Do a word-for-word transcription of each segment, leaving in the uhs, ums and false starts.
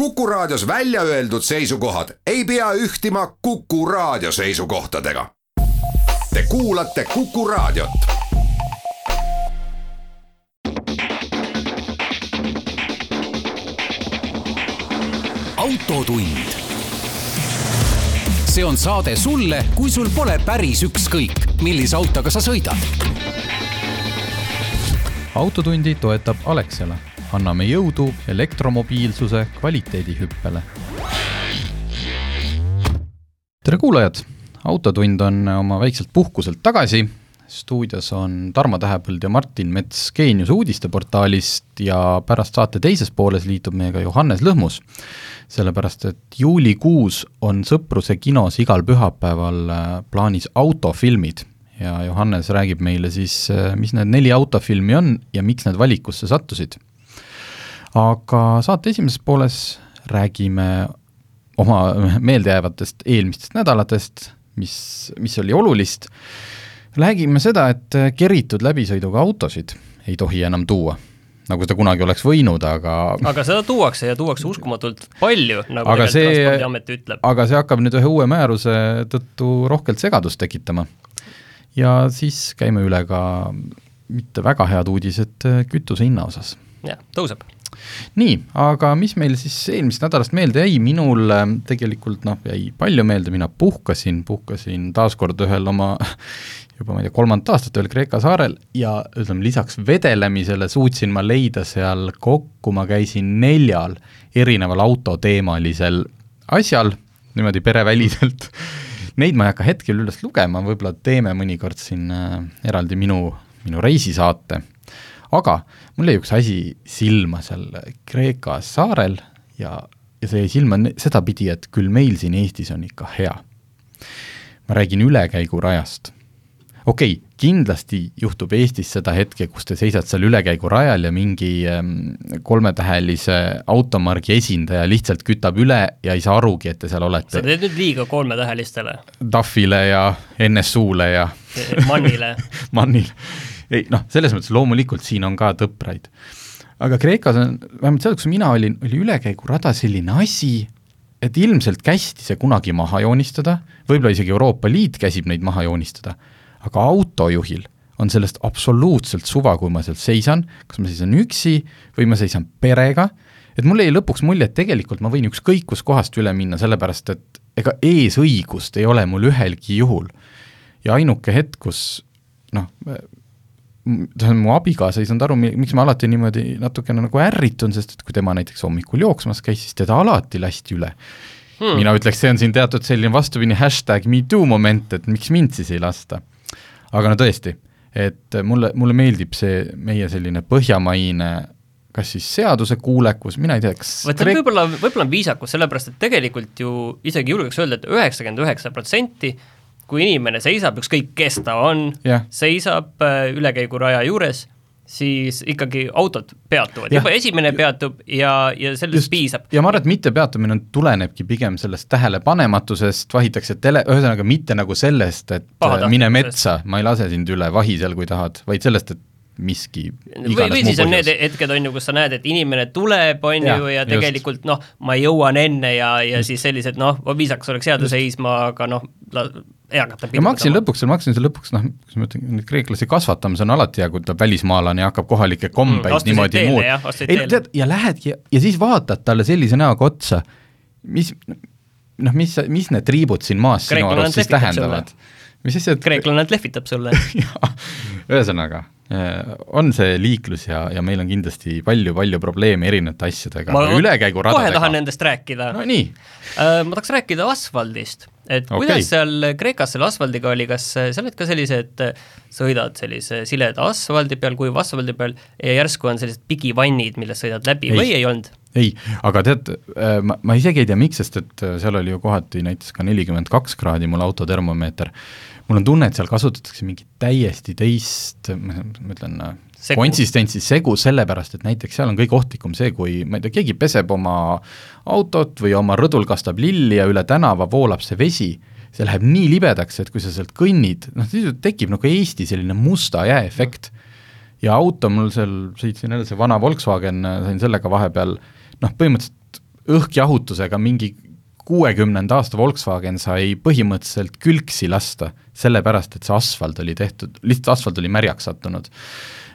Kuku Raadios välja öeldud seisukohad ei pea ühtima Kuku Raadio seisukohtadega. Te kuulate Kuku Raadiot. Autotund. See on saade sulle, kui sul pole päris ükskõik, millise autoga sa sõidad. Autotundi toetab Alexela. Anname jõudu elektromobiilsuse kvaliteedihüppele. Tere kuulajad! Autotund on oma väikselt puhkuselt tagasi. Stuudios on Tarmo Tähepõld ja Martin Mets Geenius uudisteportaalist ja pärast saate teises pooles liitub meiega Johannes Lõhmus. Sellepärast, et juulikuus on Sõpruse kinos igal pühapäeval plaanis autofilmid. Ja Johannes räägib meile siis, mis need neli autofilmi on ja miks need valikusse sattusid. Aga saate esimeses pooles räägime oma meeldejäävatest eelmistest nädalatest, mis, mis oli olulist. Räägime seda, et keritud läbisõiduga autosid ei tohi enam tuua, nagu seda kunagi oleks võinud, aga... Aga seda tuuakse ja tuuakse uskumatult palju, nagu aga see, Transpordiamet ütleb. Aga see hakkab nüüd ühe uue määruse tõttu rohkelt segadust tekitama. Ja siis käime üle ka mitte väga head uudised kütuse hinna osas. Ja, tõuseb. Nii, aga mis meil siis eelmist nädalast meelde jäi? Minul tegelikult noh, jäi palju meelde, mina puhkasin, puhkasin taaskord ühel oma juba ma ei tea, kolmandat aastat ühel Kreeka saarel ja ütleme, lisaks vedelemisele suutsin ma leida seal kokku, ma käisin neljal erineval autoteemalisel asjal, niimoodi pereväliselt. Neid ma ei hakka hetkel üles lugema, võib-olla teeme mõnikord siin äh, eraldi minu, minu reisisaate. Aga mul jäi üks asi silma seal Kreeka saarel ja, ja see jäi silma seda pidi, et küll meil siin Eestis on ikka hea. Ma räägin ülekäigu rajast. Okei, okay, kindlasti juhtub Eestis seda hetke, kus te seisad seal ülekäigu rajal ja mingi ähm, kolmetähelise automargi esindaja lihtsalt kütab üle ja ei saa arugi, et te seal olete. Sa teed nüüd liiga kolmetähelistele. Taffile ja N S U-le ja... Mannile. Mannile. Ei, noh, selles mõttes loomulikult siin on ka tõpraid. Aga Kreekas on, vähemalt seal, kus mina olin, oli ülekäigu rada selline asi, et ilmselt kästi see kunagi maha joonistada, võib-olla isegi Euroopa Liit käsib neid maha joonistada, aga autojuhil on sellest absoluutselt suva, kui ma seal seisan, kas ma seisan üksi või ma seisan perega, et mul ei lõpuks mulje, et tegelikult ma võin ükskõik kus kohast üle minna, sellepärast, et ega eesõigust ei ole mul ühelgi juhul. Ja ainuke hetk, kus noh, mu abigaasa ei saanud aru, miks ma alati niimoodi natukene nagu ärritun, sest et kui tema näiteks hommikul jooksmas käis, siis teda alati lasti üle. Hmm. Mina ütleks, see on siin teatud selline vastupidi hashtag me too moment, et miks mind siis ei lasta. Aga no tõesti, et mulle, mulle meeldib see meie selline põhjamaine, kas siis seaduse kuulekus, mina ei tea, kas... Kreek... Võib-olla, võib-olla on viisakus, sellepärast, et tegelikult ju isegi julgeks öelda, et üheksakümmend üheksa protsenti kui inimene seisab, ükskõik kes ta on, yeah. seisab ülekäigu raja juures, siis ikkagi autod peatuvad. Juba esimene peatub ja, ja sellest Just. piisab. Ja ma arvan, et mitte peatumine tulenebki pigem sellest tähelepanematusest, vahitakse tele, ühesõnaga mitte nagu sellest, et mine metsa, ma ei lase sind üle, vahi seal, kui tahad, vaid sellest, et miski või, või siis on need hetked, on ju, kus sa näed, et inimene tuleb, on ja, ju, ja tegelikult, just. noh, ma jõuan enne ja, ja siis sellised, noh, viisakas oleks jääda seisma, aga noh, eakata ja ma hakkasin lõpuks, ma hakkasin lõpuks, noh, kus ma ütlen, kreeklasi kasvatamise on alati, kui tuleb välismaalane ja hakkab kohalikke kombeid mm, niimoodi muud. Ja, ei, tead, ja lähed ja, ja siis vaatad talle sellise näoga otsa, mis, noh, mis, mis need triibud siin maas sinu arust siis tähendavad? Mis siis, et... Kreeklane lehvitab sulle. Ühesõnaga, on see liiklus ja, ja meil on kindlasti palju-palju probleeme erinevate asjadega. Ma ülekäigu radadega. Kohe tahan nendest rääkida. No nii. Ma tahaks rääkida asfaldist. Et okay. Kuidas seal Kreekas selle asfaldiga oli, kas sa oled ka sellised, sõidad sellise sileda asfaldi peal, kuiva asfaldi peal ja järsku on sellised pigivannid, millest sõidad läbi ei. Või ei olnud? Ei, aga tead, ma, ma isegi ei tea miks, sest et seal oli ju kohati näiteks ka nelikümmend kaks kraadi mul autotermomeeter. Mul on tunne, et seal kasutatakse mingi täiesti teist, ma ütlen, segu. Konsistentsi segu sellepärast, et näiteks seal on kõige ohtlikum see, kui ma ei tea, keegi peseb oma autot või oma rõdul kastab lilli ja üle tänava voolab see vesi, see läheb nii libedaks, et kui sa sealt kõnnid, noh, siis tekib nagu Eesti selline musta jääefekt. Ja auto mul seal, sõitsin jälle see vana Volkswagen, sain sellega vahepeal, noh, põhimõtteliselt õhkjahutusega mingi kuuekümnenda aasta Volkswagen sai põhimõtteliselt külksi lasta, sellepärast, et see asfalt oli tehtud, lihtsalt asfalt oli märjaks sattunud.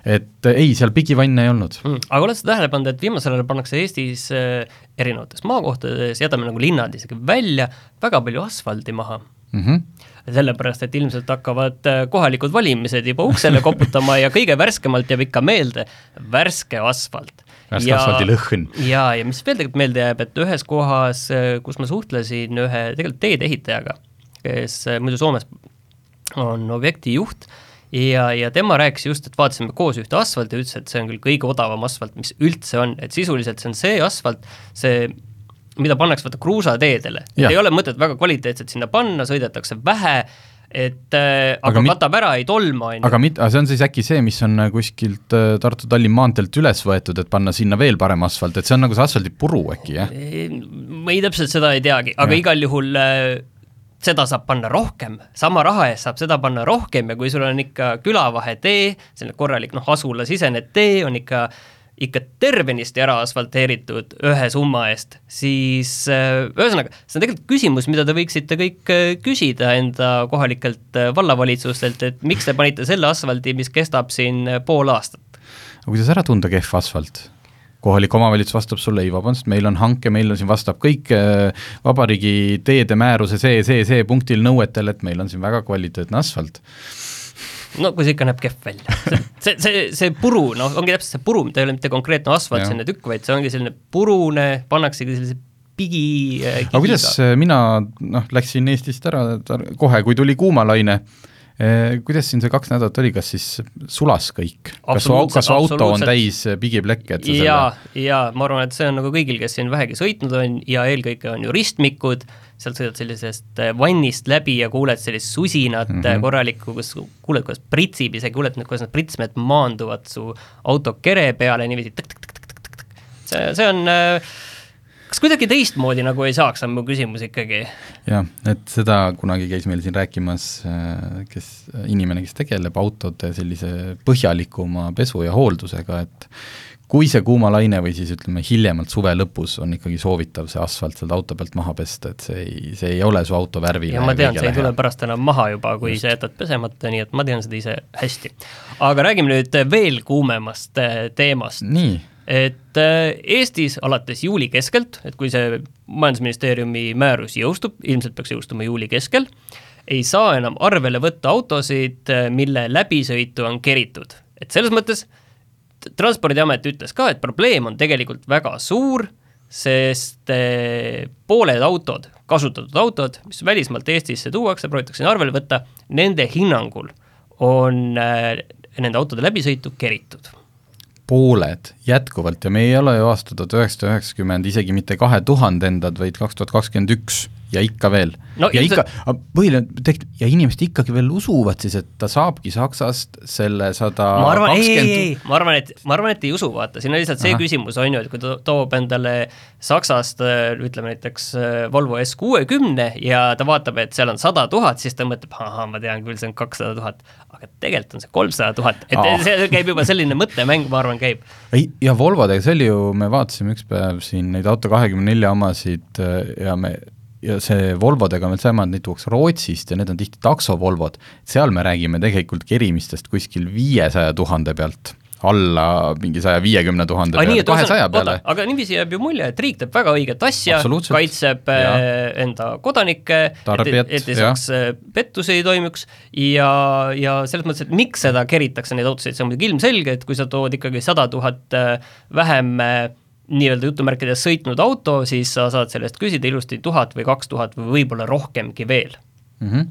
Et ei, seal pigivanne ei olnud. Mm. Aga oled sa tähele pannud, et viimasel ajal pannakse Eestis erinevates maakohtades, jätame nagu linnad isegi välja, väga palju asfaldi maha. Mm-hmm. Sellepärast, et ilmselt hakkavad kohalikud valimised juba uksele koputama ja kõige värskemalt jääb ikka meelde värske asfalt. Värske ja, asfaldi lõhn. Ja, ja mis veel tegelikult meelde jääb, et ühes kohas, kus ma suhtlesin ühe tegelikult teede ehitajaga, kes muidu Soomes on objekti juht, ja, ja tema rääkis just, et vaatasime koos ühte asfalt ja ütles, et see on küll kõige odavam asfalt, mis üldse on, et sisuliselt see on see asfalt, see mida pannakse võtta kruusateedele. Ei ole mõtet väga kvaliteetselt sinna panna, sõidetakse vähe, et äh, aga, aga mit... katab ära, ei tolma. Aga, mit... aga see on siis äkki see, mis on kuskilt Tartu-Tallinn maanteelt üles võetud, et panna sinna veel parem asfalt, et see on nagu see asfaldi puru äkki, jah? Ma ei täpselt seda ei teagi, aga ja. Igal juhul äh, seda saab panna rohkem, sama raha eest saab seda panna rohkem ja kui sul on ikka külavahe tee, selline korralik noh, asula sisene tee on ikka ikka tervenisti ära asfalteeritud ühe summa eest, siis ühesõnaga, see on tegelikult küsimus, mida te võiksite kõik küsida enda kohalikelt vallavalitsustelt, et miks te panite selle asfaldi, mis kestab siin pool aastat? Aga kuidas ära tunda kehv asfalt? Kohalik omavalitsus vastab sulle, ei vabandust, meil on hanke, meil on siin vastab kõik vabariigi teede määruse see, see, see punktil nõuetel, et meil on siin väga kvaliteetne asfalt. No kui see ikka näeb kehv välja. See, see, see puru, no ongi täpselt see puru, mida ei ole mitte konkreetne asfalt, selline tükk, vaid see ongi selline purune, pannaksegi sellise pigi kiviga. Aga kuidas mina noh, läksin Eestist ära kohe, kui tuli kuumalaine, kuidas siin see kaks nädalat oli, kas siis sulas kõik? Kas, kas auto on täis pigiplekke? Ja, ja ma arvan, et see on nagu kõigil, kes siin vähegi sõitnud on ja eelkõige on ju ristmikud, sealt sõidad sellisest vannist läbi ja kuuled sellist susinat mm -hmm. korralikku, kus kuuled, kuidas pritsib, isegi kuuled, kuidas need pritsmed maanduvad su auto kere peale, niiviisi tõk, tõk, tõk, tõk, tõk, tõk. See, see on, kas kuidagi teistmoodi nagu ei saaks, on mu küsimus ikkagi? Jah, et seda kunagi käis meil siin rääkimas kes, inimene, kes tegeleb autode sellise põhjalikuma pesu ja hooldusega, et kui see kuumalaine või siis ütleme hiljemalt suve lõpus on ikkagi soovitav see asfalt sealt auto pealt maha pesta, et see ei, see ei ole su auto värvile. Ja ma tean, see ei tule pärast enam maha juba, kui Just. sa jätad pesemata, nii et ma tean seda ise hästi. Aga räägime nüüd veel kuumemast teemast. Nii. Et Eestis alates juuli keskelt, et kui see majandusministeeriumi määrus jõustub, ilmselt peaks jõustuma juuli keskel, ei saa enam arvele võtta autosid, mille läbisõitu on keritud. Et selles mõttes Transpordiamet ütles ka, et probleem on tegelikult väga suur, sest pooled autod, kasutatud autod, mis välismaalt Eestisse tuuakse, proovitakse arvele võtta, nende hinnangul on nende autode läbisõitu keritud. Pooled jätkuvalt ja me ei ole ju aasta tuhat üheksasada üheksakümmend isegi mitte kahe tuhande endad, vaid kaks tuhat kakskümmend üks ja ikka veel. No, ja, ikka, see... põhiline, ja inimesed ikkagi veel usuvad siis, et ta saabki Saksast selle sada kakskümmend... Ma arvan, ei, ei, ei, ma arvan, et, ma arvan, et ei usu, vaata. Siin on lihtsalt see Aha. küsimus, on ju, et kui ta toob endale Saksast, ütleme näiteks Volvo S kuuekümne ja ta vaatab, et seal on sada tuhat, siis ta mõtleb, aha, ma tean küll, see on kakssada tuhat, aga tegelikult on see kolmsada tuhat. Et ah. see käib juba selline mõttemäng, ma arvan, käib. Ei, ja Volvodega, see oli ju, me vaatasime üks päev siin neid auto kahekümne nelja omasid ja me ja see Volvodega meil saime, et neid tuuakse Rootsist ja need on tihti taksovolvod. Seal me räägime tegelikult kerimistest kuskil viiesaja tuhande pealt, alla mingi saja viiekümne tuhande peale, kahesaja peale. Aga niiviisi jääb ju mulje, et riik teeb väga õiget asja, kaitseb ja. enda kodanikke, Tarbijat, et, et ei saaks pettusi ei toimuks ja, ja selles mõttes, et miks seda keritakse neid autosid, see on muidugi ilmselge, et kui sa tood ikkagi sada tuhat vähem nii-öelda jutumärkides sõitnud auto, siis sa saad sellest küsida ilusti tuhat või kaks tuhat või võib-olla rohkemgi veel. Mm-hmm.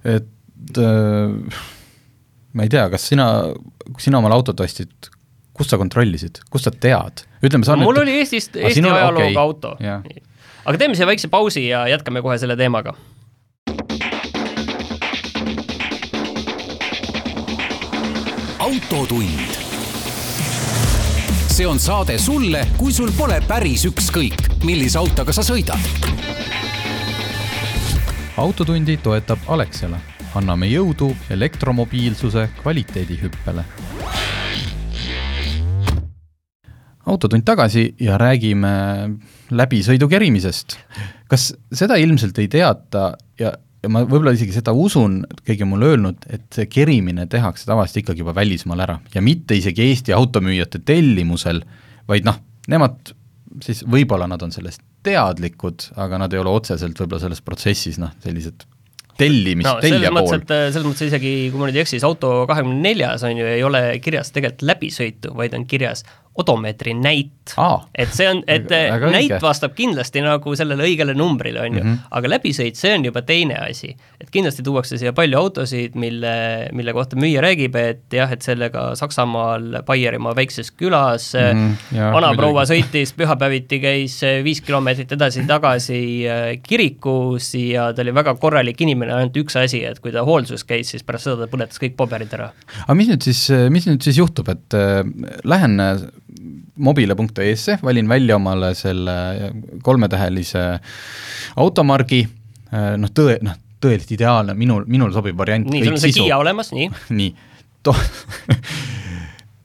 Et äh, ma ei tea, kas sina, kui sina omal autot ostid, kust sa kontrollisid, kust sa tead? Ütleme, sa no, mul et... oli Eestist, Eesti sinul... ajalooga okay. auto. Ja. Aga teeme siia väikse pausi ja jätkame kohe selle teemaga. Autotund. See on saade sulle, kui sul pole päris ükskõik, millise autoga sa sõidad. Autotundi toetab Alexela. Anname jõudu elektromobiilsuse kvaliteedihüppele. autotund tagasi ja räägime läbisõidu kerimisest. Kas seda ilmselt ei teata ja, ja ma võib-olla isegi seda usun, keegi mulle öelnud, et see kerimine tehakse tavaliselt ikkagi juba välismaal ära ja mitte isegi Eesti automüüjate tellimusel, vaid noh, nemad siis võib-olla nad on sellest teadlikud, aga nad ei ole otseselt võib-olla selles protsessis noh, sellised tellimis, no, tellija pool. Selles mõttes isegi, kui ma nüüd ei eksis, auto kahekümne neljas on ju, ei ole kirjas tegelikult läbisõitu, vaid on kirjas odomeetri näit. Aa, et see on, et väga näit õige. vastab kindlasti nagu sellele õigele numbrile, on ju, mm-hmm. aga läbisõit, see on juba teine asi. Et kindlasti tuuakse siia palju autosid, mille, mille kohta müüja räägib, et jah, et sellega Saksamaal Baierimaa väikses külas mm-hmm. ja, vanaproua sõitis, pühapäeviti käis viis kilomeetrit edasi-tagasi kirikus ja ta oli väga korralik inimene, ainult üks asi, et kui ta hoolsus käis, siis pärast seda ta põletas kõik paberid ära. Aga mis nüüd siis, mis nüüd siis juhtub, et äh, lähen mobile punkt ee-sse, valin välja omale selle kolmetähelise automargi, noh, tõe, noh, tõeliselt ideaalne, minul, minul sobib variant. Nii, sul on see Kia olemas, nii. nii, to-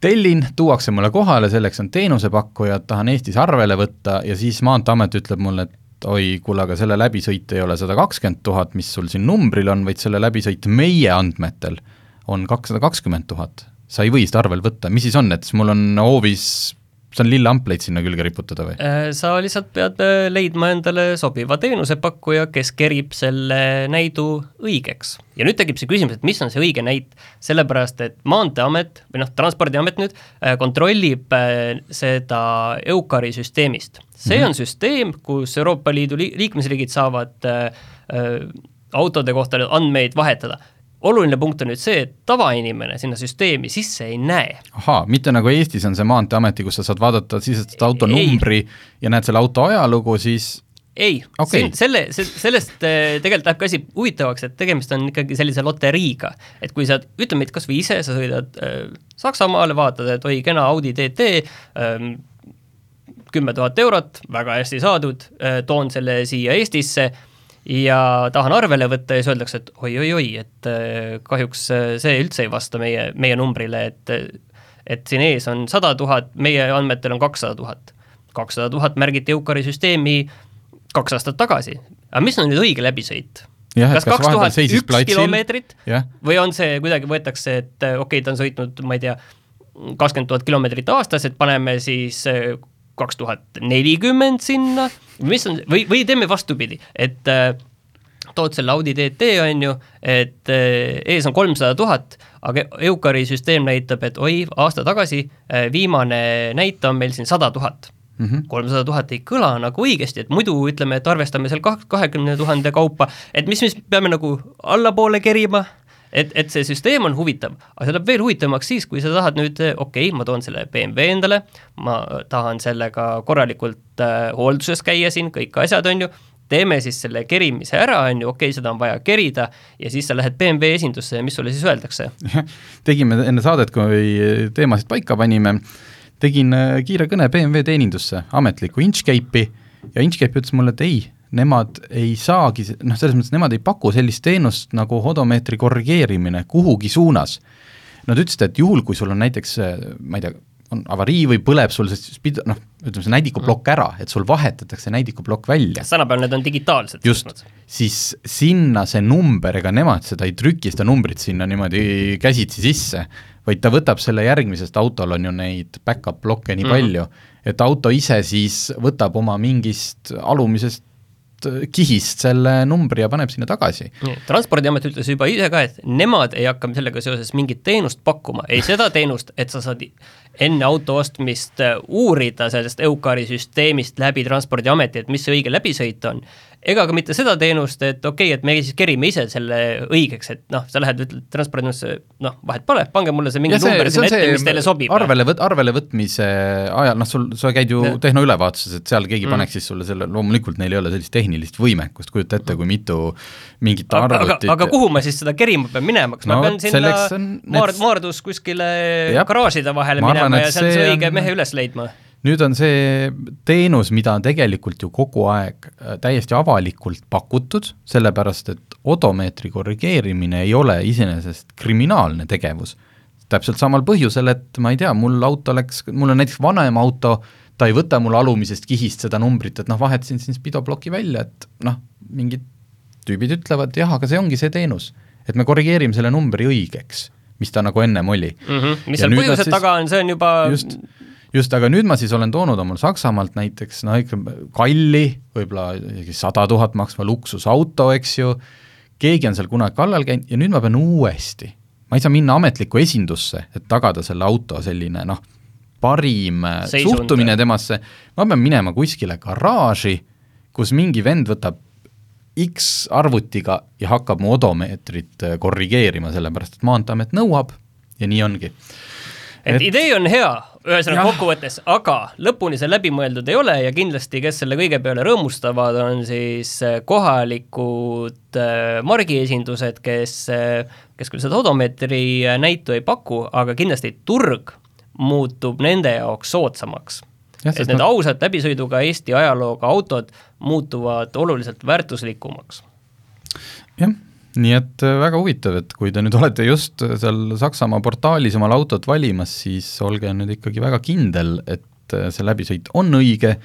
tellin, tuuakse mulle kohale, selleks on teenusepakkujad, tahan Eestis arvele võtta ja siis Maanteeamet ütleb mulle, et oi, kuule, aga selle läbisõit ei ole sada kakskümmend tuhat, mis sul siin numbril on, vaid selle läbisõit meie andmetel on kakssada kakskümmend tuhat. Sa ei või seda arvel võtta, mis siis on, et mul on hoovis, see on lille ampleid sinna külge riputada või? Sa lihtsalt pead leidma endale sobiva teenusepakkuja, kes kerib selle näidu õigeks. Ja nüüd tegib see küsimus, et mis on see õige näit, sellepärast, et Maanteeamet, või noh, Transpordiamet nüüd, kontrollib seda EUCARi süsteemist. See mm-hmm. on süsteem, kus Euroopa Liidu liikmesriigid saavad äh, autode kohta andmeid vahetada. Oluline punkt on nüüd see, et tavainimene sinna süsteemi sisse ei näe. Ahaa, mitte nagu Eestis on see Maanteeameti, kus sa saad vaadata sisestada auto numbri ja näed selle auto ajalugu, siis ei, okay. selle, sellest tegelikult läheb ka asi huvitavaks, et tegemist on ikkagi sellise loteriiga, et kui sa ütleme, et kas või ise sa sõidad äh, Saksamaale, vaatad, et oi, kena Audi T T, äh, kümme tuhat eurot, väga hästi saadud, äh, toon selle siia Eestisse ja tahan arvele võtta ja siis öeldakse, et oi-oi-oi, et kahjuks see üldse ei vasta meie, meie numbrile, et, et siin ees on sada tuhat, meie andmetel on kakssada tuhat. kakssada tuhat märgiti EUCARi süsteemi kaks aastat tagasi. Aga mis on nüüd õige läbisõit? Ja, kas kaks tuhat üks kilomeetrit ja. Või on see kuidagi võetakse, et okei, okay, ta on sõitnud, ma ei tea, kakskümmend tuhat kilomeetrit aastas, et paneme siis kaks tuhat nelikümmend sinna, mis on, või, või teeme vastupidi, et äh, tood selle Audi T T on ju, et äh, ees on kolmsada tuhat, aga EUCARi süsteem näitab, et oi, aasta tagasi äh, viimane näita on meil siin sada tuhat. Mm-hmm. kolmsada tuhat ei kõla nagu õigesti, et muidu ütleme, et arvestame seal kahekümne tuhande kaupa, et mis me peame nagu allapoole kerima, et, et see süsteem on huvitav, aga see läheb veel huvitavamaks siis, kui sa tahad nüüd, okei okay,, ma toon selle B M W endale, ma tahan sellega korralikult äh, hoolduses käia siin, kõik asjad on ju, teeme siis selle kerimise ära, on ju, okei okay,, seda on vaja kerida ja siis sa lähed B M W esindusse ja mis sulle siis öeldakse? Tegime enne saadet, kui teemasid paika panime, tegin kiire kõne B M W teenindusse, ametliku Inchcape'i ja Inchcape ütles mulle, et ei, nemad ei saagi, noh, selles mõttes nemad ei paku sellist teenust nagu odomeetri korrigeerimine kuhugi suunas. Nad ütlesid, et juhul, kui sul on näiteks, ma ei tea, on avarii või põleb sul, sest noh, ütleme see näidikuplokk ära, et sul vahetatakse näidikuplokk välja. Tänapäeval need on digitaalsed. Just, siis sinna see number, ega nemad seda ei trüki, seda numbrit sinna niimoodi käsitsi sisse, vaid ta võtab selle järgmisest, autol on ju neid back-up blokke nii mm-hmm. palju, et auto ise siis võtab oma mingist alumisest kihist selle numbri ja paneb sinna tagasi. Transpordiamet ütles juba ise ka, et nemad ei hakka sellega seoses mingit teenust pakkuma, ei seda teenust, et sa saad enne auto ostmist uurida sellest EUCARi süsteemist läbi Transpordiameti, et mis see õige läbisõit on, ega ka mitte seda teenust, et okei, okay, et me siis kerime ise selle õigeks, et noh, sa lähed, ütled Transpordiametisse, noh, vahet pole, pange mulle see mingi see, number sinna ette, mis teile sobib. Arvele, võt, arvele võtmise ajal, noh, sul, sa käid ju ja. tehnoülevaatuses, et seal keegi mm. paneks siis sulle selle, loomulikult neil ei ole sellist tehnilist võimekust, kujuta ette, kui mitu mingit arvutit. Aga, aga kuhu ma siis seda kerima pean minema, kas no, ma pean sinna Maard, Maardus kuskile Jab. Garaaside vahele ma minema arvan, ja seal see õige on... mehe üles leidma? Nüüd on see teenus, mida on tegelikult ju kogu aeg täiesti avalikult pakutud, sellepärast, et odomeetri korrigeerimine ei ole iseenesest kriminaalne tegevus. täpselt samal põhjusel, et ma ei tea, mul auto läks, mul on näiteks vanem auto, ta ei võta mul alumisest kihist seda numbrit, et noh, vahetasin siin spidobloki välja, et noh, mingid tüübid ütlevad, jah, aga see ongi see teenus, et me korrigeerime selle numbri õigeks, mis ta nagu ennem oli. Mm-hmm. Mis seal põhjused siis, taga on, see on juba... Just, just, aga nüüd ma siis olen toonud omal Saksamaalt näiteks, no ikka kalli, võib-olla sada tuhat maksva luksusauto, eks ju, keegi on seal kunagi kallal käinud ja nüüd ma pean uuesti. Ma ei saa minna ametlikku esindusse, et tagada selle auto selline, noh, parim Seisund. Suhtumine temasse. Ma pean minema kuskile garaaži, kus mingi vend võtab X arvutiga ja hakkab mu odomeetrit korrigeerima, sellepärast, et maanteamet nõuab ja nii ongi. Et, et idee on hea, ühesõnaga kokkuvõttes, aga lõpuni see läbimõeldud ei ole ja kindlasti, kes selle kõige peale rõõmustavad, on siis kohalikud margiesindused, kes, kes küll seda odomeetri näitu ei paku, aga kindlasti turg muutub nende jaoks soodsamaks. Ja, et need no... ausad läbisõiduga Eesti ajalooga autod muutuvad oluliselt väärtuslikumaks. Jah, nii et väga huvitav, et kui te nüüd olete just seal Saksamaa portaalis omal autot valimas, siis olge nüüd ikkagi väga kindel, et see läbisõit on õige,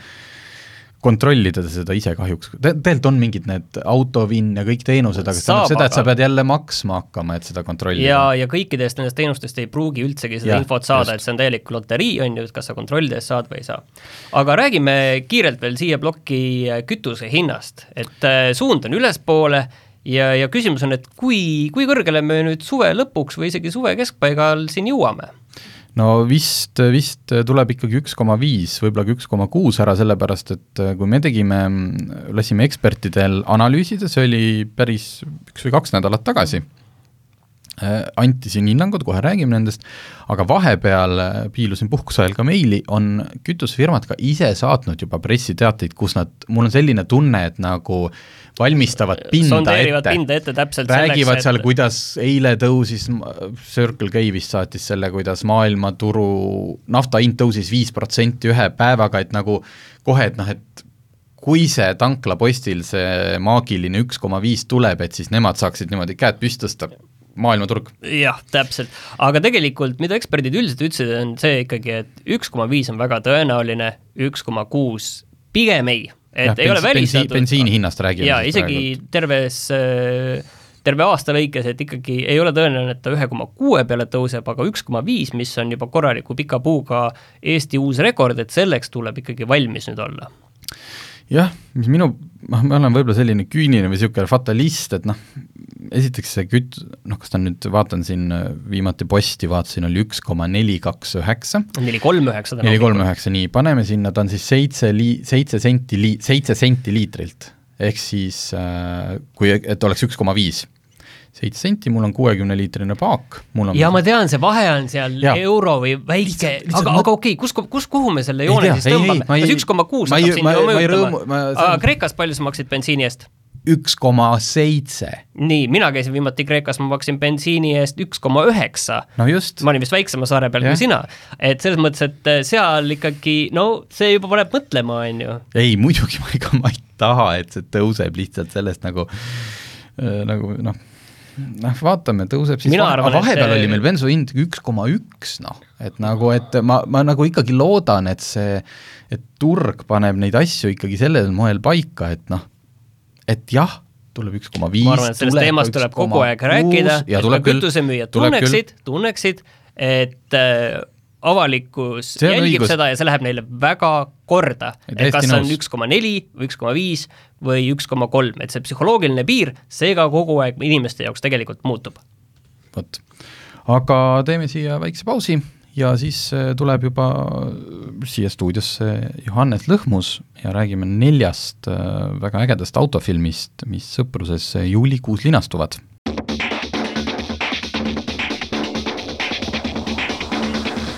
kontrollida seda ise kahjuks. Te, tegelikult on mingid need autovinn ja kõik teenused, aga Saab, seda, et sa pead jälle maksma hakkama, et seda kontrollida. Ja, ja kõikidest nendest teenustest ei pruugi üldsegi seda ja, infot saada, just. Et see on täielik loterii, on ju, kas sa kontrollides saad või ei saa. Aga räägime kiirelt veel siia plokki kütuse hinnast, et suund on ülespoole ja, ja küsimus on, et kui, kui kõrgele me nüüd suve lõpuks või isegi suve keskpaigal siin jõuame? No vist, vist tuleb ikkagi üks koma viis, võib-olla üks koma kuus ära, sellepärast, et kui me tegime, lasime ekspertidel analüüsida, see oli päris üks või kaks nädalat tagasi, anti siin hinnangud, kohe räägime nendest, aga vahepeal piilusin puhkusajal ka meili, on kütusefirmad ka ise saatnud juba pressiteateid, kus nad, mul on selline tunne, et nagu valmistavad pinda Sondeerivad ette, pinda ette täpselt räägivad selleks, seal, et... kuidas eile tõusis, Circle K vist saatis selle, kuidas maailmaturu nafta hind tõusis viis protsenti ühe päevaga, et nagu kohe, et noh, et kui see tanklapostil see maagiline üks koma viis tuleb, et siis nemad saaksid niimoodi käed püstõsta maailmaturg. Jah, täpselt. Aga tegelikult, mida eksperdid üldiselt ütlesid, on see ikkagi, et üks koma viis on väga tõenäoline, üks koma kuus pigem ei. Et ja, ei bensi, ole välistatud. Bensiini hinnast räägime. Ja isegi praegu. terves, terve aasta lõikes, et ikkagi ei ole tõenäoline, et ta üks koma kuus peale tõuseb, aga üks koma viis, mis on juba korraliku pika puuga Eesti uus rekord, et selleks tuleb ikkagi valmis nüüd olla. Jah, mis minu, ma olen võib-olla selline küüniline või niisugune fatalist, et noh, esiteks see küt, noh, kas ta nüüd, vaatan siin viimati posti, vaatasin, oli üks koma neli kaks üheksa. neli kolm üheksa. neli kolm üheksa, nii, paneme sinna, ta on siis seitse, li, seitse, senti, li, seitse senti liitrilt, ehk siis, äh, kui, et oleks üks koma viis. seitse senti, mul on kuuekümne liitrine paak. Mul on ja ma tean, see vahe on seal ja. euro või väike, aga, aga okei, kus, kus, kuhu me selle joone ei siis tea, tõmbame? Ei, ei, kas üks koma kuus hakkab siin juba mõjutama? Aga Kreekas palju sa maksid bensiini eest? üks koma seitse. Nii, mina käisin viimati Kreekas, ma maksin bensiini eest üks koma üheksa. No just. Ma olin vist väiksema saare peal ja. Kui sina. Et selles mõttes, et seal ikkagi, no see juba paneb mõtlema, on ju. Ei, muidugi ma ei, ma ei taha, et see tõuseb lihtsalt sellest nagu, nagu noh, noh, vaatame, tõuseb siis Mina arvan, vahepeal et... oli meil bensu hind üks koma üks, noh, et nagu, et ma, ma nagu ikkagi loodan, et see, et turg paneb neid asju ikkagi sellel moel paika, et noh, et jah, tuleb üks koma viis. Ma arvan, et sellest teemast tuleb kogu aeg rääkida, et ka kütusemüüjad tunneksid, tunneksid, et äh, avalikkus jälgib õigus. Seda ja see läheb neile väga korda, et kas on üks koma neli või üks koma viis või üks koma kolm, et see psühholoogiline piir, see ka kogu aeg inimeste jaoks tegelikult muutub. Võt. Aga teeme siia väikse pausi ja siis tuleb juba siia stuudiosse Johannes Lõhmus ja räägime neljast väga ägedast autofilmist, mis sõpruses juulikuus linastuvad.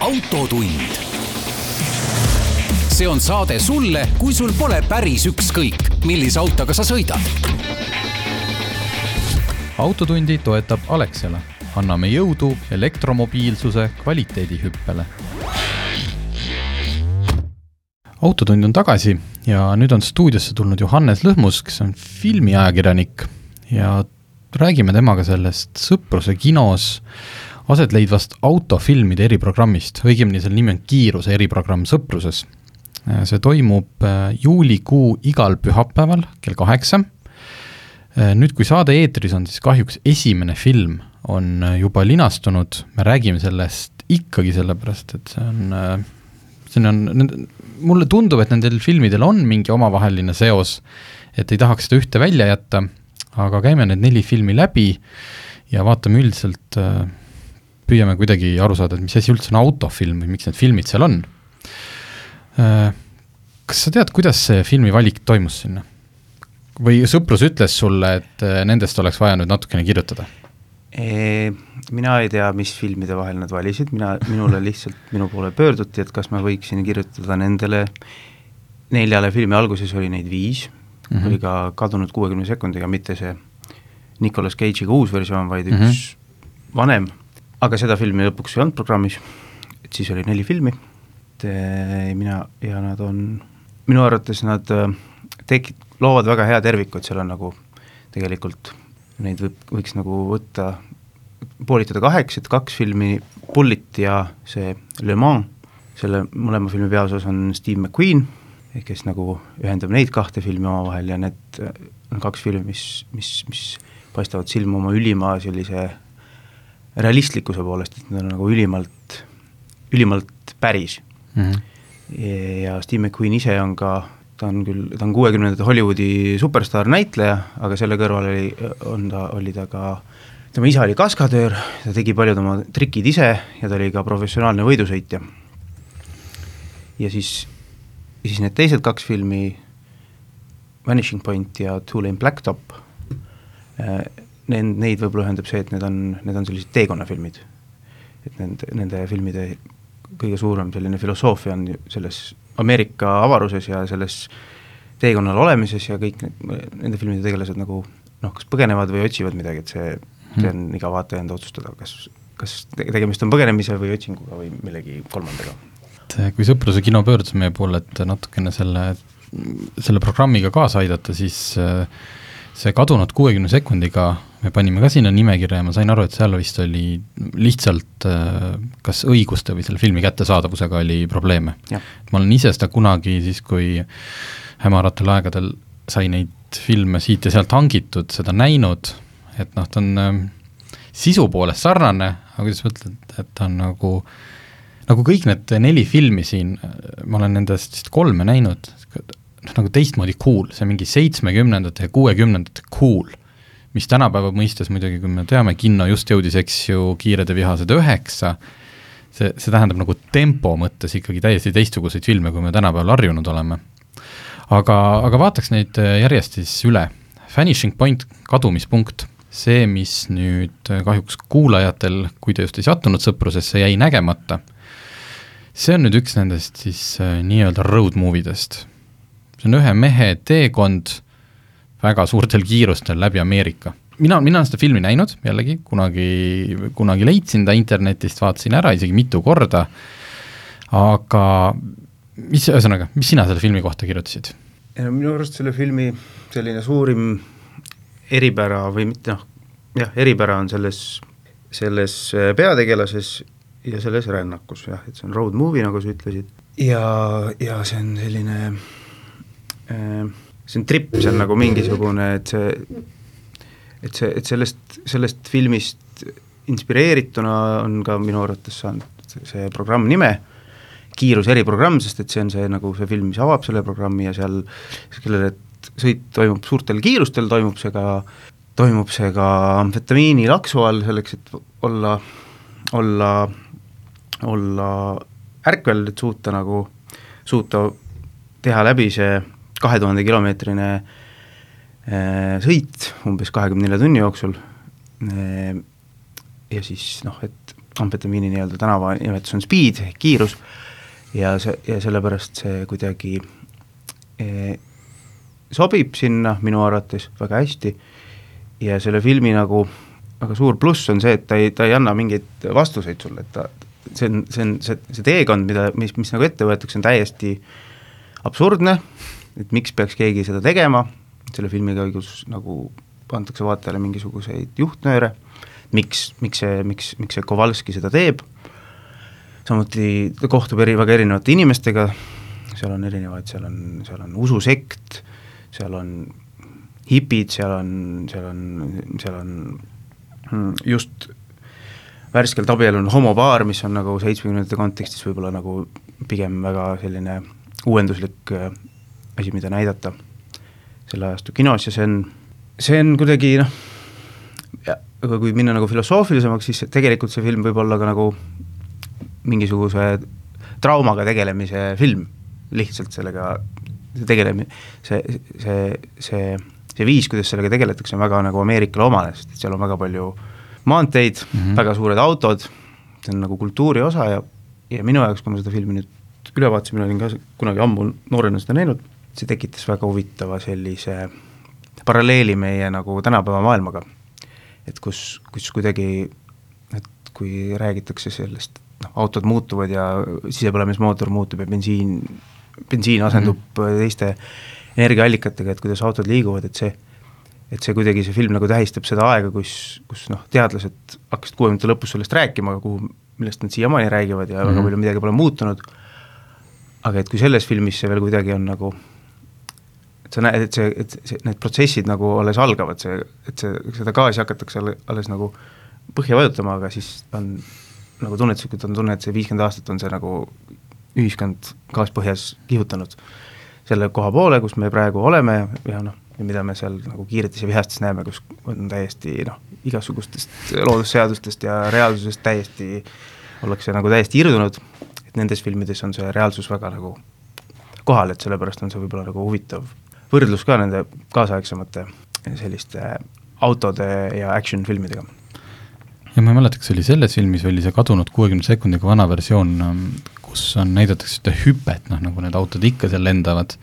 Autotund. See on saade sulle, kui sul pole päris ükskõik, millise autoga sa sõidad. Autotundi toetab Alexela. Anname jõudu elektromobiilsuse kvaliteedihüppele. Autotund on tagasi ja nüüd on stuudiosse tulnud Johannes Lõhmus, kes on filmiajakirjanik ja räägime temaga sellest sõpruse kinos aset leidvast autofilmide eriprogrammist, õigemini selle nimi on Kiiruse eriprogramm Sõpruses. See toimub juulikuu igal pühapäeval kell kaheksa. Nüüd, kui saade eetris on, siis kahjuks esimene film on juba linastunud, me räägime sellest ikkagi sellepärast, et see on, see on, mulle tundub, et nendel filmidel on mingi omavaheline seos, et ei tahaks seda ühte välja jätta, aga käime need neli filmi läbi ja vaatame üldiselt, püüame kuidagi aru saada, et mis asi üldse on autofilm või miks need filmid seal on. Kas sa tead, kuidas see filmi valik toimus sinna? Või Sõprus ütles sulle, et nendest oleks vaja nüüd natukene kirjutada? E, mina ei tea, mis filmide vahel nad valisid, mina, minule lihtsalt minu poole pöörduti, et kas ma võiksin kirjutada nendele neljale filmi, alguses oli neid viis, mm-hmm. oli ka kadunud kuuekümne sekundiga, mitte see Nicolas Cage'iga uus versioon, vaid üks mm-hmm. vanem, aga seda filmi lõpuks ei olnud programmis, et siis oli neli filmi, et mina ja nad on, minu arvates nad tekid, loovad väga hea terviku, et seal on nagu tegelikult neid võib, võiks nagu võtta, poolitada kaheks, et kaks filmi, Bullet ja see Le Mans, selle mõlema filmi peaosas on Steve McQueen, kes nagu ühendab neid kahte filmi omavahel ja need on kaks filmi, mis, mis, mis paistavad silma oma ülima sellise realistlikkuse poolest, et need on nagu ülimalt, ülimalt päris. Mm-hmm. Ja Steve McQueen ise on ka ta on küll, ta on kuuekümnendate Hollywoodi superstar näitleja, aga selle kõrval oli, on ta, oli ta ka, tema isa oli kaskadöör, ta tegi paljud oma trikid ise ja ta oli ka professionaalne võidusõitja. Ja siis, ja siis need teised kaks filmi, Vanishing Point ja Two Lane Blacktop, need, neid võib-olla ühendab see, et need on, need on sellised teekonnafilmid. Et nende, nende filmide kõige suurem selline filosoofia on selles Ameerika avaruses ja selles teekonnal olemises ja kõik need, nende filmide tegelased nagu noh, kas põgenevad või otsivad midagi, et see, see on iga vaataja enda otsustada, kas, kas tegemist on põgenemise või otsinguga või millegi kolmandaga. Kui Sõpruse kino pöördus meie poole, et natukene selle, selle programmiga kaasa aidata, siis see kadunud kuuekümne sekundiga me panime ka sinna nimekirja ja ma sain aru, et seal vist oli lihtsalt kas õiguste või selle filmi kättesaadavusega oli probleeme. Ja. Ma olen ise seda kunagi siis, kui hämaratel aegadel sai neid filme siit ja sealt hangitud, seda näinud, et noh, ta on sisu poolest sarnane, aga kuidas mõtled, et ta on nagu, nagu kõik need neli filmi siin, ma olen nendest vist kolme näinud, nagu teistmoodi cool, see mingi seitsmekümnendate ja kuuekümnendate cool, mis tänapäeva mõistes muidugi, kui me teame, kinno just jõudis, eks ju, Kiired ja vihased üheksa, see, see tähendab nagu tempo mõttes ikkagi täiesti teistsuguseid filme, kui me tänapäeval harjunud oleme. Aga, aga vaataks neid järjest siis üle. Vanishing Point, kadumispunkt, see, mis nüüd kahjuks kuulajatel, kui te just ei sattunud Sõprusesse, jäi nägemata, see on nüüd üks nendest siis nii-öelda road movidest. See on ühe mehe teekond väga suurtel kiirustel läbi Ameerika. Mina, mina olen seda filmi näinud, jällegi, kunagi, kunagi leidsin ta internetist, vaatasin ära isegi mitu korda, aga mis, ühesõnaga, mis sina selle filmi kohta kirjutasid? Minu arust selle filmi selline suurim eripära või mitte, noh, jah, eripära on selles, selles peategelases ja selles rännakus, jah, et see on road movie, nagu sa ütlesid. Ja, ja see on selline see on trip, see on nagu mingisugune, et see, et see, et sellest, sellest filmist inspireerituna on ka minu arvates saanud see programm nime, Kiirus eriprogramm, sest et see on see nagu see film, mis avab selle programmi ja seal, kellele sõit toimub suurtel kiirustel, toimub see ka, toimub see ka amfetamiini laksu all selleks, et olla, olla, olla ärkvel, et suuta nagu, suuta teha läbi see kahe tuhande kilomeetrine sõit umbes kahekümne nelja tunni jooksul ja siis noh, et amfetamiini nii-öelda tänava nimetus on speed, kiirus ja, see, ja sellepärast see kuidagi e, sobib sinna minu arvates väga hästi ja selle filmi nagu väga suur pluss on see, et ta ei, ta ei anna mingeid vastuseid sulle, et ta, see on, see on see, see teekond, mida, mis, mis nagu ette võetakse, on täiesti absurdne, et miks peaks keegi seda tegema, selle filmi käigus nagu antakse vaatajale mingisuguseid juhtnööre, miks, miks see, miks, miks see Kowalski seda teeb, samuti ta kohtub eri, väga erinevate inimestega, seal on erinevaid, seal on, seal on ususekt, seal on hipid, seal on, seal on, seal on just värskelt abiellunud homopaar, mis on nagu seitsmekümnendate kontekstis võib-olla nagu pigem väga selline uuenduslik asi, mida näidata selle ajastu kinos ja see on, see on kuidagi noh, aga kui minna nagu filosoofilisemaks, siis tegelikult see film võib olla ka nagu mingisuguse traumaga tegelemise film, lihtsalt sellega tegelemi-, see, see, see, see viis, kuidas sellega tegeletakse, on väga nagu Ameerikale omane, sest seal on väga palju maanteid, mm-hmm. väga suured autod, see on nagu kultuuri osa ja, ja minu jaoks, kui ma seda filmi nüüd üle vaatasin, mina olin ka kunagi ammu noorena seda näinud, see tekitas väga huvitava sellise paralleeli meie nagu tänapäeva maailmaga, et kus, kus kuidagi, et kui räägitakse sellest, noh, autod muutuvad ja sisepõlemismootor muutub ja bensiin, bensiin asendub mm-hmm. teiste energiaallikatega, et kuidas autod liiguvad, et see et see kuidagi, see film nagu tähistab seda aega, kus, kus noh, teadlased hakkasid kuuekümnendate lõpus sellest rääkima, kuhu, millest nad siiamaani räägivad ja mm-hmm. väga palju midagi pole muutunud, aga et kui selles filmis see veel kuidagi on nagu, et sa näed, et, see, et see, need protsessid nagu alles algavad, see, et see, seda gaasi hakatakse alles nagu põhja vajutama, aga siis on nagu tunnetuslikult on tunne, et see viiskümmend aastat on see nagu ühiskond gaaspõhjas kihutanud selle koha poole, kus me praegu oleme ja noh, ja mida me seal nagu kiiretis ja vihastes näeme, kus on täiesti noh, igasugustest loodusseadustest ja reaalsusest täiesti, ollakse nagu täiesti irdunud, et nendes filmides on see reaalsus väga nagu kohal, et sellepärast on see võib-olla nagu huvitav võrdlus ka nende kaasaegsemate selliste autode ja action filmidega. Ja ma ei mäleta, kas oli selles filmis või oli see kadunud kuuekümne sekundiga vana versioon, kus on näidatakse seda hüpet, noh, nagu need autod ikka seal lendavad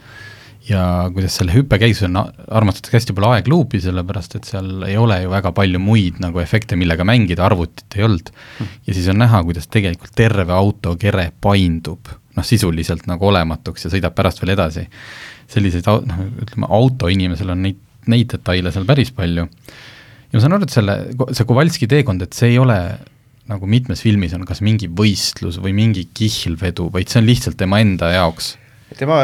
ja kuidas selle hüppe käigus on, armastatakse hästi palju aegluubi, sellepärast et seal ei ole ju väga palju muid nagu efekte, millega mängida, arvutit ei olnud. Ja siis on näha, kuidas tegelikult terve auto kere paindub, noh sisuliselt nagu olematuks ja sõidab pärast veel edasi. Selliseid, noh, ütleme, autoinimesel on neid, neid detaile seal päris palju. Ja ma saan aru, et selle, see Kowalski teekond, et see ei ole nagu mitmes filmis on kas mingi võistlus või mingi kihlvedu, vaid see on lihtsalt tema enda jaoks. Tema,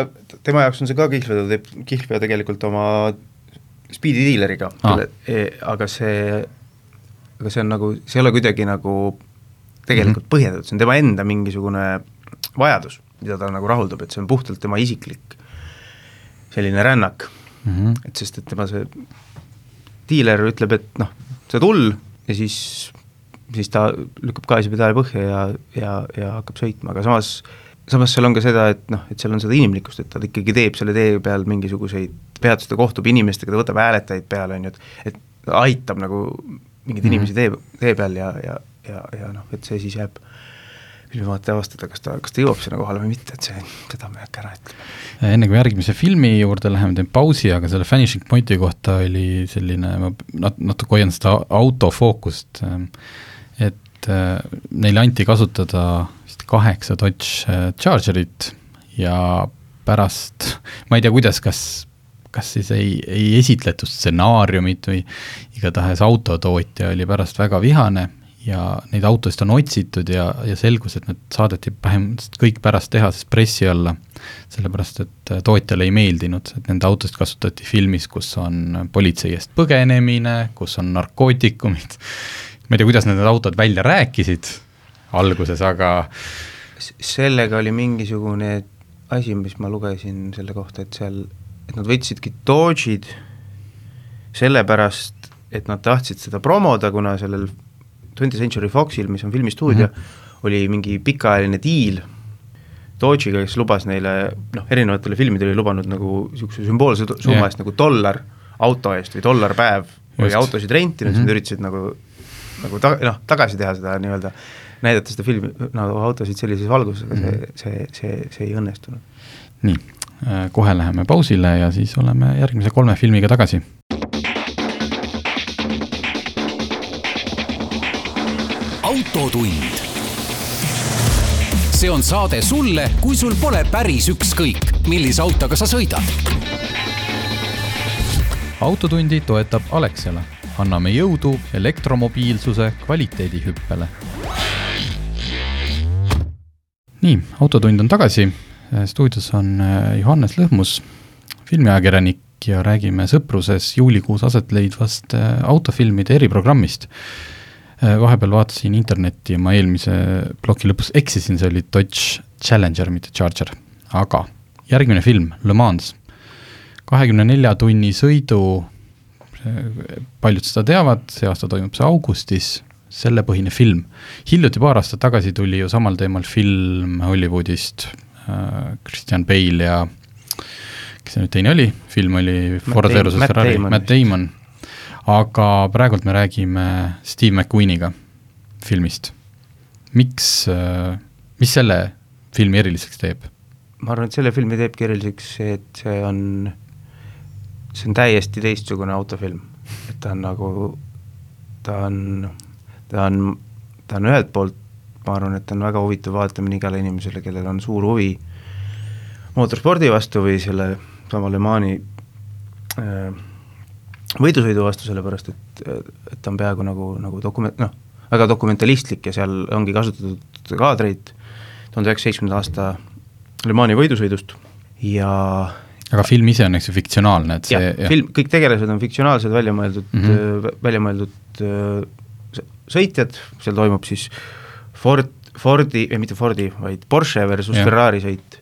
tema jaoks on see ka kihlvedu, teeb kihlveo tegelikult oma speedi dealeriga, ah. aga see, aga see on nagu, see ei ole kuidagi nagu tegelikult mm-hmm. põhjendatud, see on tema enda mingisugune vajadus, mida ta nagu rahuldab, et see on puhtalt tema isiklik selline rännak, mm-hmm. et sest, et tema see dealer ütleb, et noh, see tull ja siis, siis ta lükkab gaasi pedaali põhja ja, ja, ja hakkab sõitma, aga samas samas seal on ka seda, et noh, et seal on seda inimlikkust, et ta ikkagi teeb selle tee peal mingisuguseid peatuste kohtub inimestega, ta võtab hääletajaid peale, on ju, et, et aitab nagu mingid mm-hmm. inimesi tee, tee peal ja, ja, ja, ja noh, et see siis jääb filmivaate avastada, kas ta, kas ta jõuab sinna kohale või mitte, et see, seda me äkki ära ütleme. Enne kui järgmise filmi juurde läheme, teen pausi, aga selle Finishing Pointi kohta oli selline, ma nat- natuke hoian seda autofookust, et neile anti kasutada kaheksa Dodge Chargerit ja pärast, ma ei tea, kuidas, kas, kas siis ei, ei esitletud stsenaariumit või igatahes autotootja oli pärast väga vihane ja neid autost on otsitud ja, ja selgus, et need saadeti vähemalt kõik pärast tehasest pressi alla, sellepärast et tootjale ei meeldinud, et nende autost kasutati filmis, kus on politsei eest põgenemine, kus on narkootikumid, ma ei tea, kuidas need autod välja rääkisid alguses, aga sellega oli mingisugune asi, mis ma lugesin selle kohta, et seal, et nad võtsidki Dodge'id sellepärast, et nad tahtsid seda promoda, kuna sellel twentieth Century Foxil, mis on filmistuudio, mm-hmm. oli mingi pikaajaline diil Dodge'iga, kes lubas neile, noh, erinevatele filmidele oli lubanud nagu niisuguse sümboolse summa yeah. eest nagu dollar auto eest või dollar päev või Just. autosid rentinud, mm-hmm. siis nad üritasid nagu, nagu ta, noh, tagasi teha seda nii-öelda näidata seda filmi, nagu autosid sellises valguses, aga see, see, see, see ei õnnestunud. Nii, kohe läheme pausile ja siis oleme järgmise kolme filmiga tagasi. Autotund. See on saade sulle, kui sul pole päris ükskõik, millise autoga sa sõidad. Autotundi toetab Alexela. anname jõudu elektromobiilsuse kvaliteedihüppele. Nii, autotund on tagasi. Stuudios on Johannes Lõhmus, filmiajakirjanik ja räägime sõpruses juulikuus aset leidvast autofilmide eriprogrammist. Vahepeal vaatasin internetti ja ma eelmise ploki lõpus eksisin, see oli Dodge Challenger, mitte Charger. Aga järgmine film, Le Mans, kahekümne nelja tunni sõidu, paljud seda teavad, see aasta toimub see augustis, selle põhine film. Hiljuti paar aastat tagasi tuli ju samal teemal film Hollywoodist, Christian Bale ja kes see nüüd teine oli, film oli Ford versus Ferrari, Matt Damon, aga praegult me räägime Steve McQueeniga filmist. Miks, mis selle filmi eriliseks teeb? Ma arvan, et selle filmi teebki eriliseks see, et see on, see on täiesti teistsugune autofilm. Et ta on nagu, ta on, ta on, ta on ühelt poolt, ma arvan, et ta on väga huvitav vaatamine igale inimesele, kellel on suur huvi mootorspordi vastu või selle sama Le Mani äh, võidusõidu vastu, sellepärast, et, et ta on peaaegu nagu, nagu dokument, noh, väga dokumentalistlik ja seal ongi kasutatud kaadreid tuhande üheksasaja seitsmekümnenda aasta Le Mani võidusõidust ja aga film ise on eks fiktsionaalne, et see ja, ja. Film, kõik tegelased on fiktsionaalsed, välja mõeldud, mm-hmm. välja mõeldud äh, sõitjad, seal toimub siis Ford, Fordi, ei mitte Fordi, vaid Porsche versus ja. Ferrari sõit.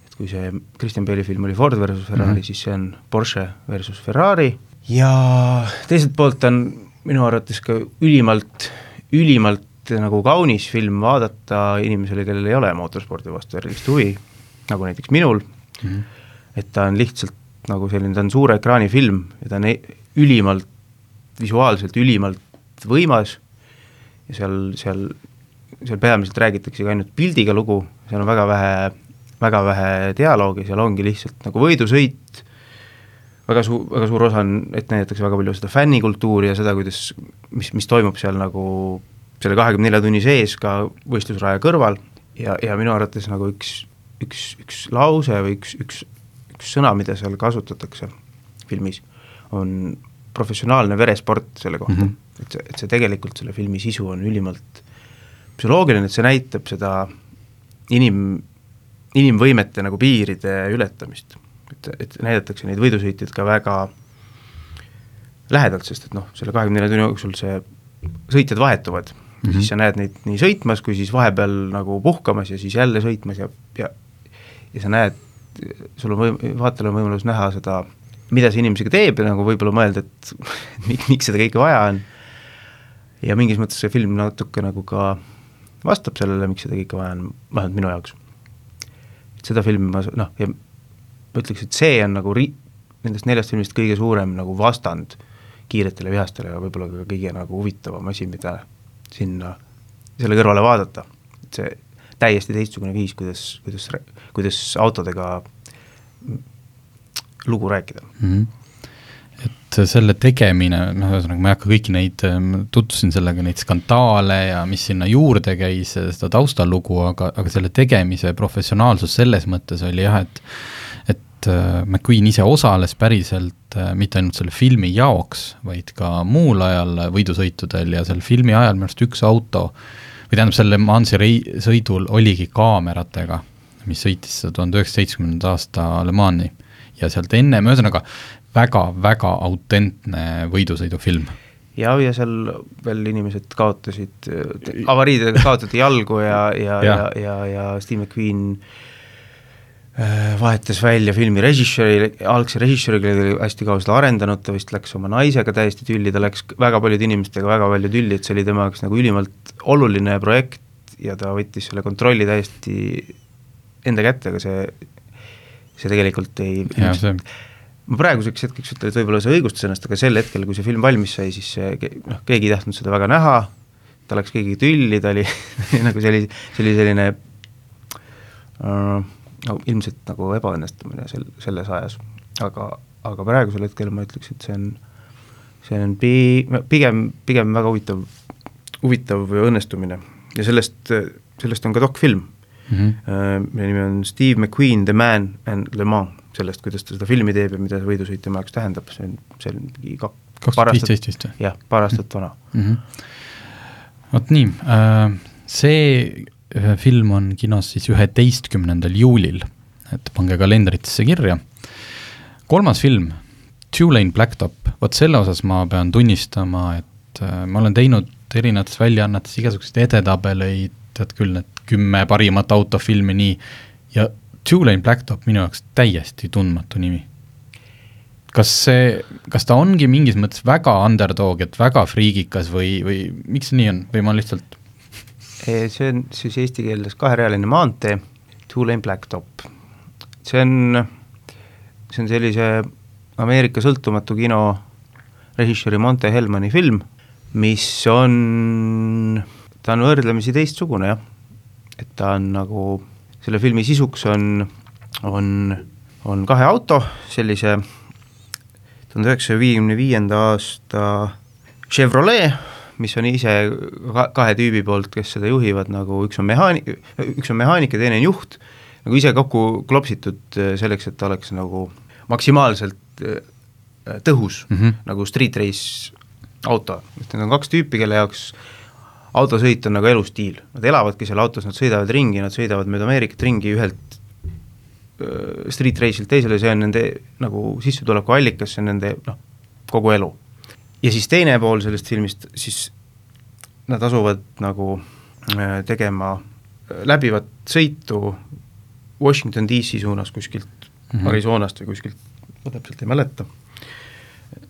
Et kui see Christian Bale'i film oli Ford versus Ferrari, mm-hmm. siis see on Porsche versus Ferrari ja teiselt poolt on minu arvates ka ülimalt, ülimalt nagu kaunis film vaadata inimesele, kellel ei ole mootorspordi vastu erilist huvi, nagu näiteks minul, mm-hmm. et ta on lihtsalt nagu selline, ta on suure ekraani film ja ta on ülimalt, visuaalselt ülimalt võimas ja seal, seal seal peamiselt räägitakse ainult pildiga lugu, seal on väga vähe, väga vähe dialoogi, seal ongi lihtsalt nagu võidusõit, väga, su- väga suur osa on, et näidatakse väga palju seda fännikultuuri ja seda, kuidas, mis, mis toimub seal nagu selle kahekümne nelja tunni sees ka võistlusraja kõrval ja, ja minu arvates nagu üks, üks, üks lause või üks, üks, üks sõna, mida seal kasutatakse filmis, on professionaalne veresport selle kohta, mm-hmm. et, see, et see tegelikult selle filmi sisu on ülimalt psühholoogiline, et see näitab seda inim, inimvõimete nagu piiride ületamist, et, et näidatakse neid võidusõitjaid ka väga lähedalt, sest et noh, selle kahekümne nelja tunni jooksul see sõitjad vahetuvad, mm-hmm. siis sa näed neid nii sõitmas, kui siis vahepeal nagu puhkamas ja siis jälle sõitmas ja, ja, ja sa näed, sul on võim, vaatajal on võimalus näha seda, mida see inimesega teeb ja nagu võib-olla mõelda, et miks, miks seda kõike vaja on ja mingis mõttes see film natuke nagu ka vastab sellele, miks seda kõike vaja on, vähemalt minu jaoks. Et seda filmi ma, noh, ja ma ütleks, et see on nagu ri-, nendest neljast filmist kõige suurem nagu vastand kiiretele vihastele ja võib-olla ka kõige nagu huvitavam asi, mida sinna, selle kõrvale vaadata. Et see täiesti teistsugune viis, kuidas, kuidas, kuidas autodega lugu rääkida. Mm-hmm. Et selle tegemine, noh, ühesõnaga ma ei hakka kõiki neid, tutvusin sellega neid skandaale ja mis sinna juurde käis, seda taustalugu, aga, aga selle tegemise professionaalsus selles mõttes oli jah, et, et McQueen ise osales päriselt mitte ainult selle filmi jaoks, vaid ka muul ajal võidusõitudel ja selle filmi ajal minu arust üks auto, või tähendab selle Mansi rei- sõidul oligi kaameratega, mis sõitis seda tuhande üheksasaja seitsmekümnenda aasta Le Mani ja sealt enne, ühesõnaga väga-väga autentne võidusõidufilm. Ja, ja seal veel inimesed kaotasid, avariidega kaotati jalgu ja, ja, ja. ja, ja, ja Steve McQueen vahetas välja filmi režissööri, algse režissööriga oli hästi kaua seda arendanud, ta vist läks oma naisega täiesti tülli, ta läks väga paljude inimestega väga palju tülli, et see oli tema jaoks nagu ülimalt oluline projekt ja ta võttis selle kontrolli täiesti enda kätte, aga see, see tegelikult ei... Ja, see... Ma praeguseks hetkeks ütlen, et võib-olla see õigustas ennast, aga sel hetkel, kui see film valmis sai, siis see, noh, keegi ei tahtnud seda väga näha, ta läks keegi tülli, ta oli nagu see oli, see oli selline uh, no, ilmselt nagu ebaõnnestumine sel, selles ajas, aga, aga praegusel hetkel ma ütleks, et see on, see on pi, pigem, pigem väga huvitav, huvitav õnnestumine ja sellest, sellest on ka dokfilm, mm-hmm. uh, mille nimi on Steve McQueen, The Man and Le Mans, sellest, kuidas ta seda filmi teeb ja mida see võidusõit tema jaoks tähendab, see on, see on kaks tuhat viisteist vist või? jah, paar aastat vana mm. -hmm. Vot nii, see film on kinos siis üheteistkümnendal juulil, et pange kalendritesse kirja. Kolmas film, Two-Lane Blacktop, vot selle osas ma pean tunnistama, et ma olen teinud erinevates väljaannetes igasuguseid edetabeleid, tead küll, need kümme parimat autofilmi, nii, ja Two-Lane Blacktop minu jaoks täiesti tundmatu nimi. Kas see, kas ta ongi mingis mõttes väga underdog, et väga friigikas või, või miks see nii on, või ma lihtsalt... See on siis eesti keeles kaherealine maantee, Two-Lane Blacktop. See on, see on sellise Ameerika sõltumatu kino režissööri Monte Hellmani film, mis on, ta on võrdlemisi teistsugune, jah. Et ta on nagu, selle filmi sisuks on, on, on kahe auto, sellise tuhande üheksasaja viiekümne viienda aasta Chevrolet, mis on ise kahe tüübi poolt, kes seda juhivad, nagu üks on mehaanik, üks on mehaanik ja teine on juht, nagu ise kokku klopsitud selleks, et ta oleks nagu maksimaalselt tõhus, mm -hmm. nagu street race auto. Need on kaks tüüpi, kelle jaoks autosõit on nagu elustiil. Nad elavadki seal autos, nad sõidavad ringi, nad sõidavad mööda Ameerikat ringi ühelt street race'ilt teisele, see on nende nagu sissetuleku allikas, see on nende noh, kogu elu. Ja siis teine pool sellest filmist, siis nad asuvad nagu tegema läbivat sõitu Washington D C suunas kuskilt mm-hmm. Arizonast või kuskilt, ma täpselt ei mäleta,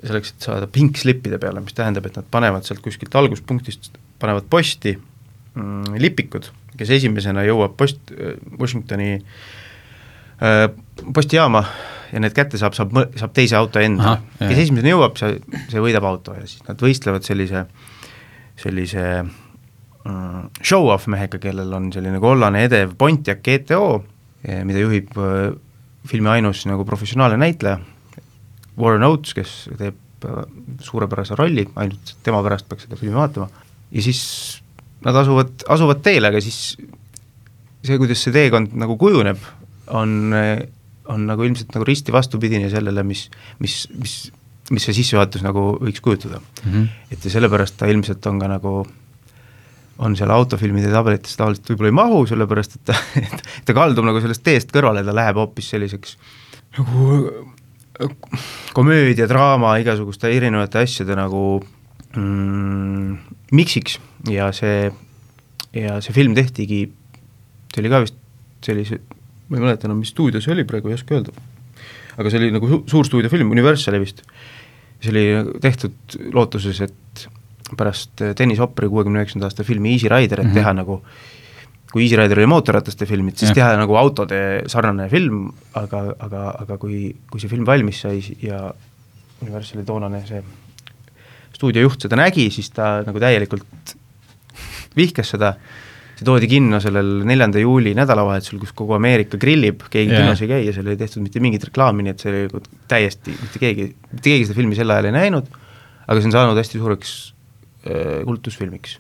selleks, et saada pink slipide peale, mis tähendab, et nad panevad sealt kuskilt alguspunktist, panevad posti mm, lipikud, kes esimesena jõuab post, Washingtoni äh, postijaama ja need kätte saab, saab, saab teise auto enda. Kes esimesena jõuab, see, see võidab auto ja siis nad võistlevad sellise, sellise mm, show-off mehega, kellel on selline kollane edev Pontiac G T O, mida juhib äh, filmi ainus nagu professionaalne näitleja, Warren Oates, kes teeb suurepärase rolli, ainult tema pärast peaks seda filmi vaatama, ja siis nad asuvad, asuvad teele, aga siis see, kuidas see teekond nagu kujuneb, on, on nagu ilmselt nagu risti vastupidine sellele, mis, mis, mis, mis see sissejuhatus nagu võiks kujutada. Mm-hmm. Et ja sellepärast ta ilmselt on ka nagu, on seal autofilmide tabelites tavaliselt võib-olla ei mahu, sellepärast et ta, et ta kaldub nagu sellest teest kõrvale, ta läheb hoopis selliseks nagu komöödia, draama, igasuguste erinevate asjade nagu mm, miksiks ja see, ja see film tehtigi, see oli ka vist sellise, ma ei mäleta enam, mis stuudio see oli praegu, ei oska öelda, aga see oli nagu su- suur stuudiofilm, Universali vist, see oli tehtud lootuses, et pärast Dennis Hopperi kuuekümne üheksanda aasta filmi Easy Rider, et mm-hmm. teha nagu kui Easy Rider oli mootorrataste filmid, siis ja. teha nagu autode sarnane film, aga, aga, aga kui, kui see film valmis sai ja Universali toonane see stuudiojuht seda nägi, siis ta nagu täielikult vihkas seda, see toodi kinno sellel neljanda juuli nädalavahetusel, kus kogu Ameerika grillib, keegi ja. kinnos ei käi ja seal ei tehtud mitte mingit reklaami, nii et see oli täiesti, mitte keegi, mitte keegi seda filmi sel ajal ei näinud, aga see on saanud hästi suureks äh, kultusfilmiks.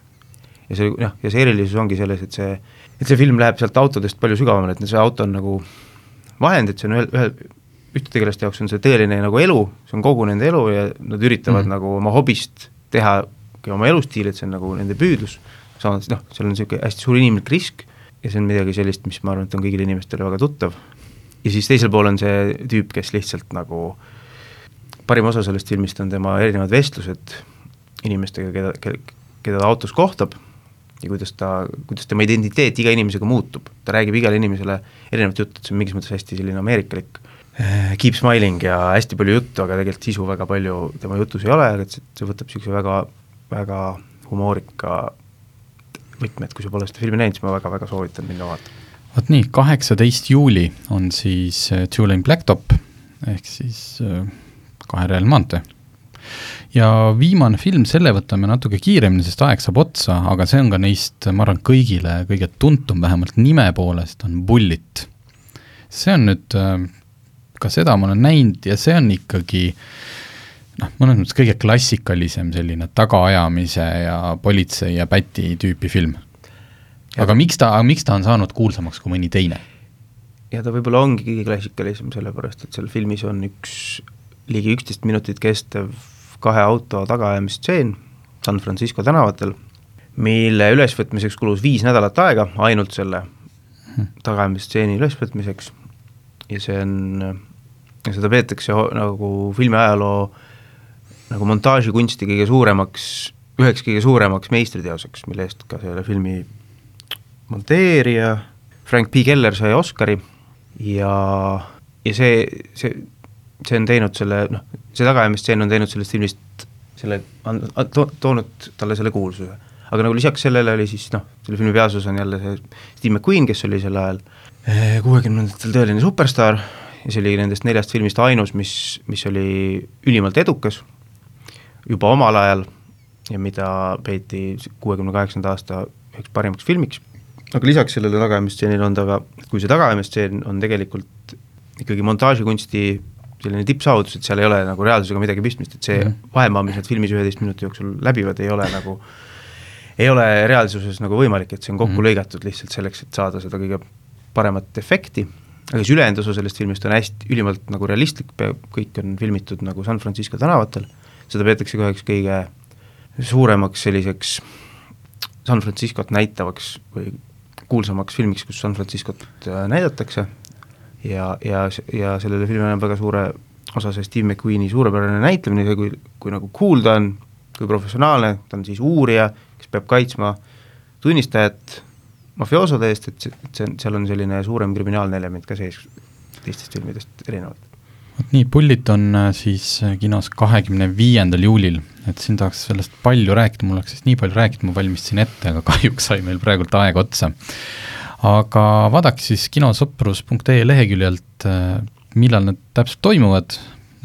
Ja see, noh, ja see erilisus ongi selles, et see et see film läheb sealt autodest palju sügavamale, et see auto on nagu vahend, et see on ühe, ühe ühte tegelaste jaoks on see tõeline nagu elu, see on kogu nende elu ja nad üritavad mm. nagu oma hobist teha oma elustiili, et see on nagu nende püüdlus, saanud, noh, seal on niisugune hästi suur inimlik risk ja see on midagi sellist, mis ma arvan, et on kõigile inimestele väga tuttav. Ja siis teisel pool on see tüüp, kes lihtsalt nagu parim osa sellest filmist on tema erinevad vestlused inimestega, keda, keda, keda ta autos kohtab ja kuidas ta, kuidas tema identiteet iga inimesega muutub. Ta räägib igale inimesele erinevat juttu, et see on mingis mõttes hästi selline ameerikalik keep smiling ja hästi palju juttu, aga tegelikult sisu väga palju tema jutus ei ole, aga see, see võtab niisuguse väga, väga humoorika võtme, et kui sa pole seda filmi näinud, siis ma väga-väga soovitan minna vaatama. Vot nii, kaheksateist juuli on siis Two-Lane Blacktop, ehk siis kaherealine maantee. Ja viimane film, selle võtame natuke kiiremini, sest aeg saab otsa, aga see on ka neist, ma arvan, kõigile kõige tuntum, vähemalt nime poolest, on Bullitt. See on nüüd, ka seda ma olen näinud ja see on ikkagi, noh, mõnes mõttes kõige klassikalisem selline tagaajamise ja politsei ja päti tüüpi film. Aga miks ta, miks ta on saanud kuulsamaks kui mõni teine? Ja ta võib-olla ongi kõige klassikalisem, sellepärast, et seal filmis on üks ligi üksteist minutit kestev kahe auto tagaajamistseen San Francisco tänavatel, mille ülesvõtmiseks kulus viis nädalat aega ainult selle tagaajamistseeni ülesvõtmiseks ja see on, ja seda peetakse nagu filmi ajaloo nagu montaažikunsti kõige suuremaks, üheks kõige suuremaks meistriteoseks, mille eest ka selle filmi monteerija Frank P. Keller sai Oscari ja, ja see, see, see on teinud selle, noh, see tagaajamistseen on teinud sellest filmist selle, to, toonud talle selle kuulsuse. Aga nagu lisaks sellele oli siis, noh, selle filmi peasus on jälle see Steve McQueen, kes oli sel ajal kuuekümnendatel tõeline superstar ja see oli nendest neljast filmist ainus, mis, mis oli ülimalt edukas juba omal ajal ja mida peeti kuuekümne kaheksanda aasta üheks parimaks filmiks. Aga lisaks sellele tagaajamistseenile on ta ka, kui see tagaajamistseen on tegelikult ikkagi montaažikunsti selline tippsaavutus, et seal ei ole nagu reaalsusega midagi pistmist, et see mm. vahemaa, mis need filmis üheteist minuti jooksul läbivad, ei ole nagu ei ole reaalsuses nagu võimalik, et see on kokku mm. lõigatud lihtsalt selleks, et saada seda kõige paremat efekti, aga siis ülejäänud osa sellest filmist on hästi ülimalt nagu realistlik, kõik on filmitud nagu San Francisco tänavatel, seda peetakse ka üheks kõige suuremaks selliseks San Franciscot näitavaks või kuulsamaks filmiks, kus San Franciscot näidatakse ja, ja, ja sellele filmile on väga suure osa see Steve McQueeni suurepärane näitlemine, see kui, kui nagu cool ta on, kui professionaalne, ta on siis uurija, kes peab kaitsma tunnistajat mafioosode eest, et, see, et see, seal on selline suurem kriminaalne element ka sees teistest filmidest erinevalt. Nii, Bullit on siis kinos kahekümne viiendal juulil, et siin tahaks sellest palju rääkida, mul oleks siis nii palju rääkida, ma valmistasin ette, aga kahjuks sai meil praegult aeg otsa. Aga vaadake siis kinosõprus punkt ee leheküljelt, millal need täpselt toimuvad,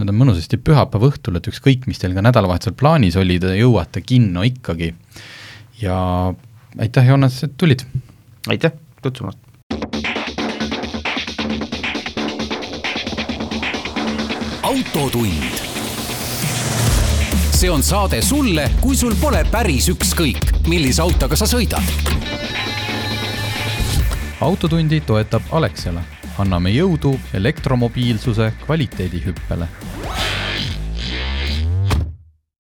need on mõnusasti pühapäeva õhtul, et ükskõik, mis teil ka nädalavahetusel plaanis oli, te jõuate kinno ikkagi. Ja aitäh, Joonas, et tulid! Aitäh, tutsumast! Autotund. See on saade sulle, kui sul pole päris ükskõik, millise autoga sa sõidad. Autotundi toetab Alexela. Anname jõudu elektromobiilsuse kvaliteedihüppele.